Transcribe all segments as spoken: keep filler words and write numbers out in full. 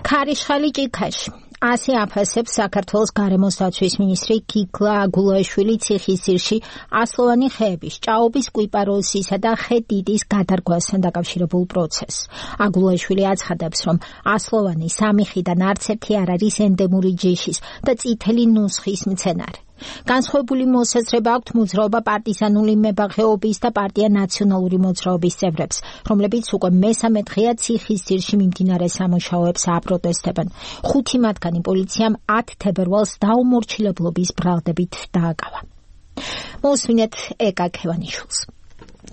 ქარიშხალი ჭიქაში. ასე აფასებს საქართველოს გარემოს დაცვის მინისტრი გიგლა აგულაშვილი ციხისძირში ასლოვანი ხეების, ჭაობის, კვიპაროსისა და ხე-დიდის გადარგვასთან დაკავშირებულ პროცესს. აგულაშვილი აცხადებს, რომ ასლოვანი სამი ხიდან არც ერთი არ არის ენდემური ჯიშის და წითელი ნუსხის მცენარე. განსხვავებული მოსაზრება აქვთ მოძრაობა პარტიზანული მებაღეობის და პარტია ნაციონალური მოძრაობის წევრებს, რომლებიც უკვე მესამე დღეა ციხისძირში მიმდინარე სამუშაოებს აპროტესტებენ. ხუთი მათგანი პოლიციამ ათ თებერვალს დაუმორჩილებლობის ბრალდებით დააკავა. მოусმინეთ ეკა ქევანიშვილს.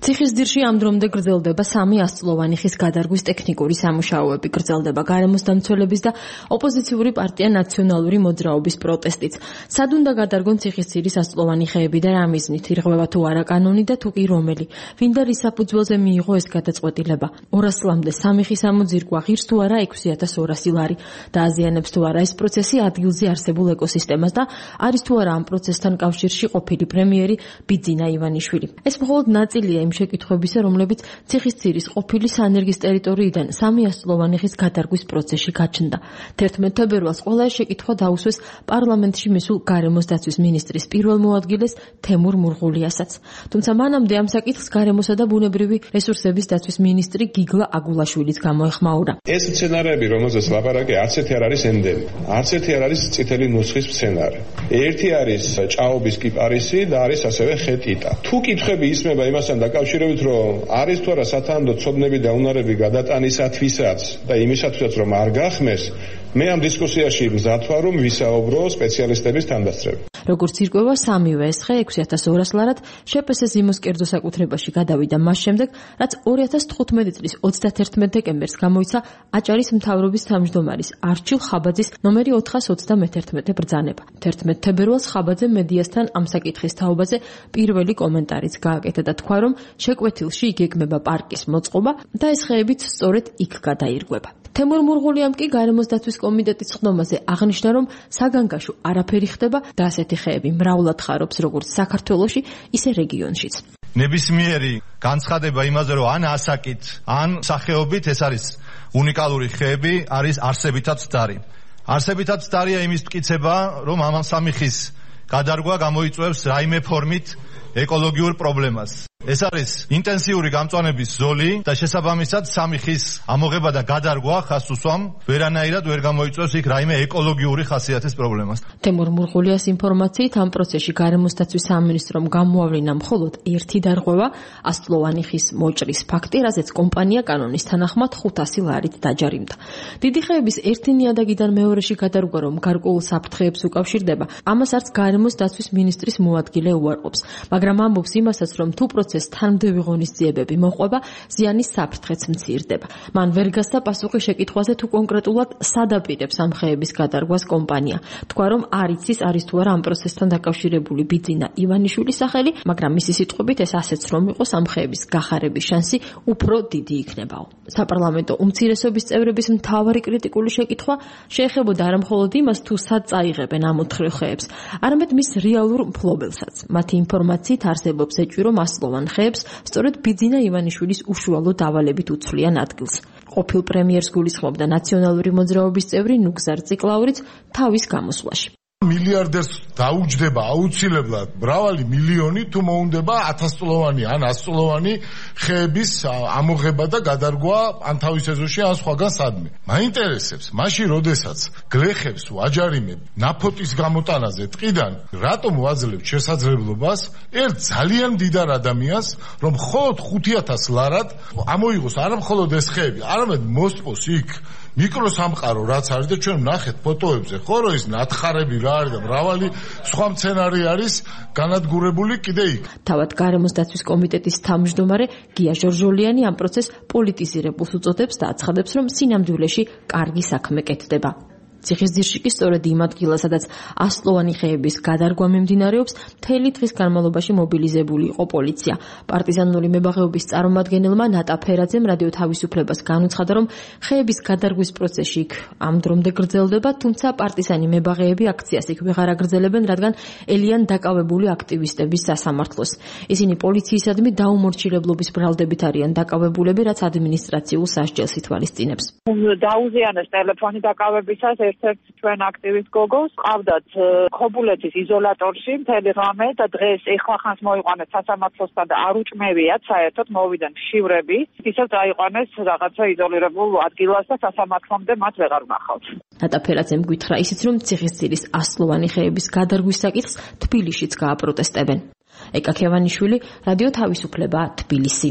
ციხისძირში ამ დრომდე გრძელდება სამი ასწლოვანი ხის გადარგვის ტექნიკური სამუშაოები, გრძელდება გარემოს დამცველების და ოპოზიციური პარტია ნაციონალური მოძრაობის პროტესტიც. სად უნდა გადარგონ ციხისძირის ასწლოვანი ხეები და რა მიზნით, ირღვევა თუ არა კანონი და თუ კი რომელი, ვინ და რის საფუძველზე მიიღო ეს გადაწყვეტილება. ორას ლამდე სამი ხის ამოძირკვა ღირს თუ არა ექვსი ათას ორასი ლარი და აზიანებს თუ არა ეს პროცესი ადგილზე არსებულ ეკოსისტემას და არის თუ არა ამ პროცესთან კავშირში ყოფილი პრემიერი ბიძინა ივანიშვილი. ეს მხოლოდ ნაწილია იმ შეკითხვებისა, რომლებიც ციხისძირის ყოფილი სანერგის ტერიტორიიდან სამი ასწლოვანი ხის გადარგვის პროცესში გაჩნდა. თერთმეტ თებერვალს ყველა ეს შეკითხვა დაუსვეს პარლამენტში მისულ გარემოს დაცვის მინისტრის პირველ მოადგილეს თემურ მურღულიასაც. თუმცა მანამდე ამ საკითხს გარემოსა და ბუნებრივი რესურსების დაცვის მინისტრი გიგლა აგულაშვილიც გამოეხმაურა. ეს მცენარეები, რომელზეც ლაპარაკი, არც ერთი არ არის ენდემი, არც ერთი არ არის წითელი ნუსხის მცენარე. ერთი არის ჭაობის კიპარისი და არის ასევე ხე-ტიტა. თუ კითხვები ისმება იმასთან დაკავშირებით, რომ არის თუ არა სათანადო ცოდნები და უნარები გადატანისათვისაც და იმისათვისაც, რომ არ გახმეს, მე ამ დისკუსიაში მზად ვარ, რომ ვისაუბრო სპეციალისტების თანდასწრებით. როგორც ირკვევა, სამივე ეს ხე ექვსი ათას ორას ლარად შეპესე ზიმოს კერძო საკუთრებაში გადავიდა მას შემდეგ, რაც ორი ათას თხუთმეტი წლის ოცდათერთმეტ დეკემბერს გამოიცა აჭარის მთავრობის თავმჯდომარის არჩილ ხაბაძის ნომერი ოთხას ოცდამეთერთმეტე ბრძანება. თერთმეტ თებერვალს ხაბაძე მედიასთან ამ საკითხის თაობაზე პირველი კომენტარიც გააკეთა და თქვა, რომ შეკვეთილში იგეგმება პარკის მოწყობა და ეს ხეებიც სწორედ იქ გადაირღვება. თემურ მურღულიამ კი გარემოს დაცვის კომიტეტის ხდომაზე აღნიშნა, რომ საგანგაშო არაფერი ხდება და ასეთი ხეები მრავლად ხარობს როგორც საქართველოში, ისე რეგიონშიც. ნებისმიერი განცხადება იმაზე, რომ ან ასაკით, ან სახეობით ეს არის უნიკალური ხეები, არის არსებითად ცდარი. არსებითად ცდარია იმის მტკიცება, რომ ამ სამი ხის გადარგვა გამოიწვევს რაიმე ფორმით ეკოლოგიურ პრობლემას. ეს არის ინტენსიური გამწვანების ზოლი და შესაბამისად სამი ხის ამოღება და გადარგვა ხას უსვამ ვერანაირად ვერ გამოიწვევს იქ რაიმე ეკოლოგიური ხასიათის პრობლემას. თემურ მურღულიას ინფორმაციით ამ პროცესში გარემოს დაცვის სამინისტრომ გამოავლინა მხოლოდ ერთი დარღვევა ასწლოვანი ხის მოჭრის ფაქტი, რაზეც კომპანია კანონის თანახმად ხუთასი ლარით დაჯარიმდა. დიდი ხეების ერთი ნიადაგიდან მეორეში გადარგვა, რომ გარკვეულ საფრთხეებს უკავშირდება, ამას არც გარემოს დაცვის მინისტრის მოადგილე უარყოფს, მაგრამ ამბობს იმასაც, რომ თუ თანმდევი ღონისძიებები მოყვება, ზიანის საფრთხეც მცირდება. მან ვერ გასცა პასუხი შეკითხვაზე, თუ კონკრეტულად სად აპირებს ამ ხეების გადარგვას კომპანია. თქვა, რომ არ იცის არის თუ არა ამ პროცესთან დაკავშირებული ბიძინა ივანიშვილის სახელი, მაგრამ მისი სიტყვებით ეს ასეც რომ იყოს ამ ხეების გახარების შანსი უფრო დიდი იქნებაო. საპარლამენტო უმცირესობის წევრების მთავარი კრიტიკული შეკითხვა შეეხებოდა არა მხოლოდ იმას, თუ სად წაიღებენ ამ ოთხ ხეებს, არამედ მის რეალურ მფლობელსაც. მათი ინფორმაციით არსებობს ეჭვი, რომ ასლოვან ხეებს სწორედ ბიძინა ივანიშვილის უშუალო დავალებით უცვლიან ადგილს. ყოფილ პრემიერს გულისხმობდა ნაციონალური მოძრაობის წევრი ნუგზარ ციკლაურიც თავის გამოსვლაში. მილიარდერს დაუჯდება აუცილებლად მრავალი მილიონი თუ მოუნდება ათასწლოვანი ან ასწლოვანი ხეების ამოღება და გადარგვა ან თავის ეზოში ან სხვაგან სადმე. მაინტერესებს, მაშინ როდესაც გლეხებს ვაჯარიმებ ნაფოტის გამოტანაზე ტყიდან, რატომ ვაძლევთ შესაძლებლობას ერთ ძალიან მდიდარ ადამიანს, რომ მხოლოდ ხუთი ათას ლარად ამოიღოს არა მხოლოდ ეს ხეები, არამედ მოსწოს იქ მიკროსამყარო რაც არის და ჩვენ ვნახეთ ფოტოებზე, ხო რომ ის ნათხარები რა არის და მრავალი სხვა მცენარე არის განადგურებული კიდე იქ. თავად გარემოს დაცვის კომიტეტის თავმჯდომარე გია ჟორჟოლიანი ამ პროცესს პოლიტიზირებულს უწოდებს და აცხადებს, რომ სინამდვილეში კარგი საქმე კეთდება. ციხისძირში კი სწორედ იმ ადგილას, სადაც ასწლოვანი ხეების გადარგვა მიმდინარეობს, მთელი დღის განმავლობაში მობილიზებული იყო პოლიცია. პარტიზანული მებაღეობის წარმომადგენელმა ნატა ფერაძემ რადიო თავისუფლებას განუცხადა, რომ ხეების გადარგვის პროცესი იქ ამ დრომდე გრძელდება, თუმცა პარტიზანი მებაღეები აქციას იქ ვეღარ აგრძელებენ, რადგან ელიან დაკავებული აქტივისტების სასამართლოს. ისინი პოლიციისადმი დაუმორჩილებლობის ბრალდებით არიან დაკავებულები, რაც ადმინისტრაციულ სასჯელს ითვალისწინებს. დაუზიანეს ტელეფონი დაკავებისას ერთ-ერთ ჩვენ აქტივისტ გოგოს, ყავდათ ქობულეთის იზოლატორში მთელი ღამე და დღეს ეხლახანს მოიყვანეს სასამართლოსთან და არ უჭმევიათ საერთოდ მოვიდნენ შივრები, ისევ დაიყვანეს რაღაცა იზოლირებულ ადგილას და სასამართლომდე მათ ვეღარ ვნახავთ. ნატა ფერაძემ გითხრა ისიც, რომ ციხისძირის ასწლოვანი ხეების გადარგვის საკითხს თბილისშიც გააპროტესტებენ. ეკა ქევანიშვილი, რადიო თავისუფლება, თბილისი.